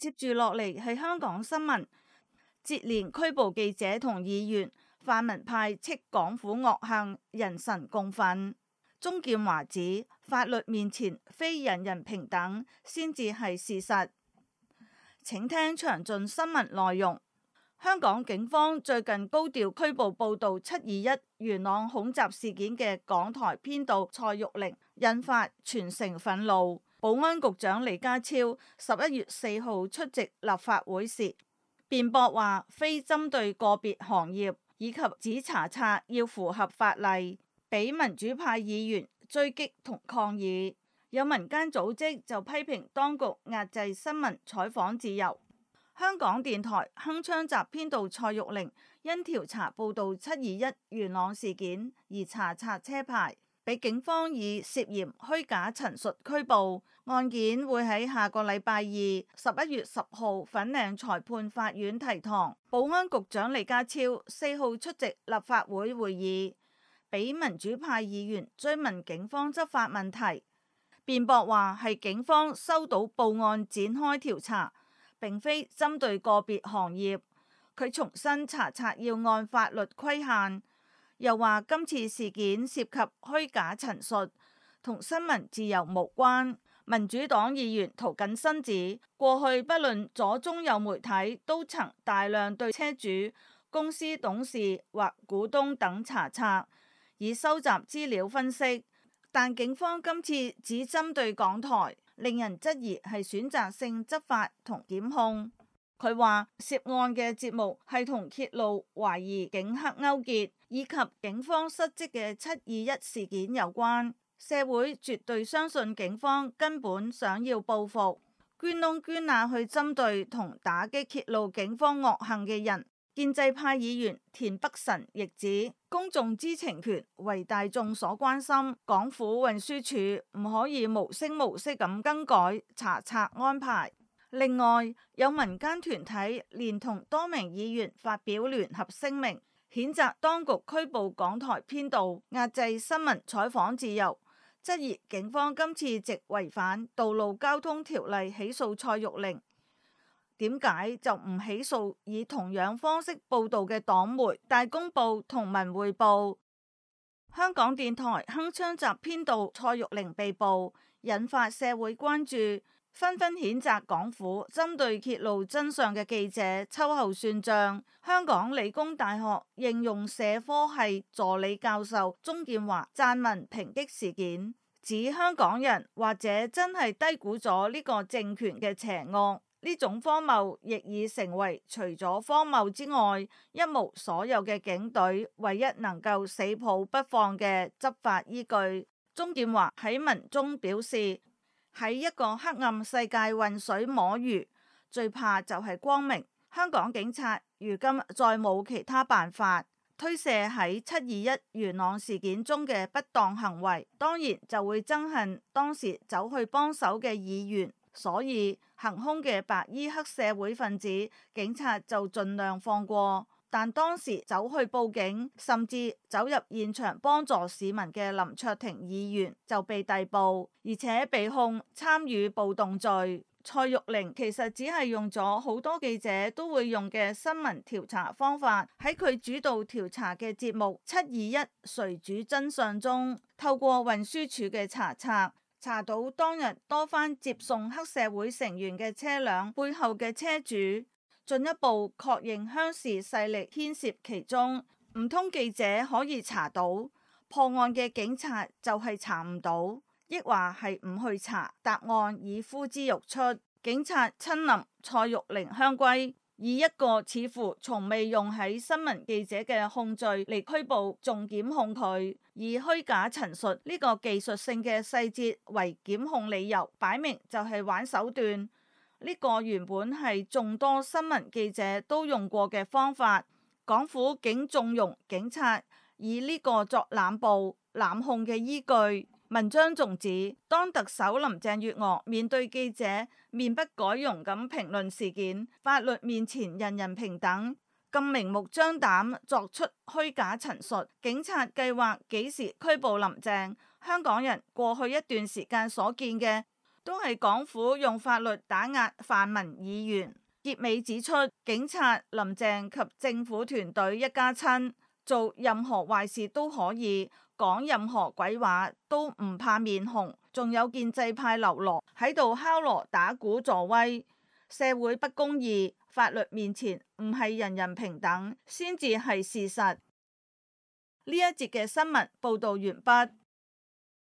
接住落嚟係香港新聞，接連拘捕記者同議員，泛民派斥港府惡行，人神共憤。鍾建華指法律面前非人人平等先至係事實。請聽詳盡新聞內容。香港警方最近高調拘捕報導721元朗恐襲事件嘅港台編導蔡玉玲，引發全城憤怒。保安局長李家超11月4號出席立法會時，辯駁話非針對個別行業，以及指查冊要符合法例，俾民主派議員追擊同抗議。有民間組織就批評當局壓制新聞採訪自由。香港電台鏗鏘集編導蔡玉玲因調查報導721元朗事件而查冊車牌，俾警方以涉嫌虛假陳述拘捕。案件會喺下個禮拜二11月10號粉嶺裁判法院提堂。保安局長李家超4號出席立法會會議，俾民主派議員追問警方執法問題，辯駁話係警方收到報案展開調查，並非針對個別行業。佢重申查冊要按法律規限，又話今次事件涉及虛假陳述，同新聞自由無關。民主黨議員涂謹申指，過去不論左中右媒體都曾大量對車主、公司董事或股東等查冊，以收集資料分析，但警方今次只針對港台，令人質疑係選擇性執法同檢控。佢話涉案嘅節目係同揭露懷疑警黑勾結以及警方失職嘅721事件有關，社會絕對相信警方根本想要報復，捐窿捐罅去針對同打擊揭露警方惡行嘅人。建制派議員田北辰亦指，公眾知情權為大眾所關心，港府運輸署唔可以無聲無息咁更改查冊安排。另外，有民間團體連同多名議員發表聯合聲明，譴責當局拘捕港台編導，壓制新聞採訪自由，質疑警方今次直違反道路交通條例起訴蔡玉玲，點解就唔起訴以同樣方式報導嘅黨媒大公報同文匯報？香港電台鏗鏘集編導蔡玉玲被捕，引發社會關注，紛紛譴責港府針對揭露真相嘅記者秋後算賬。香港理工大學應用社科系助理教授鍾建華撰文抨擊事件，指香港人或者真係低估咗呢個政權嘅邪惡。呢種荒謬亦已成為除咗荒謬之外一無所有嘅警隊唯一能夠死抱不放嘅執法依據。鍾建華喺文中表示，喺一個黑暗世界渾水摸魚，最怕就係光明。香港警察如今再冇其他辦法推卸喺721元朗事件中嘅不當行為，當然就會憎恨當時走去幫手嘅議員。所以行兇嘅白衣黑社會分子，警察就盡量放過，但當時走去報警，甚至走入現場幫助市民嘅林卓廷議員就被逮捕，而且被控參與暴動罪。蔡玉玲其實只係用咗好多記者都會用嘅新聞調查方法，喺佢主導調查嘅節目721誰主真相中，透過運輸署嘅查冊，查到當日多番接送黑社會成員嘅車輛背後嘅車主，進一步確認鄉事勢力牽涉其中。唔通記者可以查到，破案嘅警察就係查唔到，抑或係唔去查？答案已呼之欲出。警察親臨蔡玉玲香閨，以一個似乎從未用喺新聞記者嘅控罪嚟拘捕，仲檢控佢，以虛假陳述呢個技術性嘅細節為檢控理由，擺明就係玩手段。呢個原本係眾多新聞記者都用過嘅方法，港府竟縱容警察以呢個作濫捕濫控嘅依據。文章仲指，當特首林鄭月娥面對記者面不改容咁評論事件，法律面前人人平等，咁明目張膽作出虛假陳述，警察計劃幾時拘捕林鄭？香港人過去一段時間所見嘅都係港府用法律打壓泛民議員。結尾指出，警察、林鄭及政府團隊一家親做任何壞事都可以，講任何鬼話都唔怕面紅，仲有建制派流羅喺度敲鑼打鼓助威，社會不公義，法律面前唔係人人平等，先至係事實。呢一節嘅新聞報道完畢。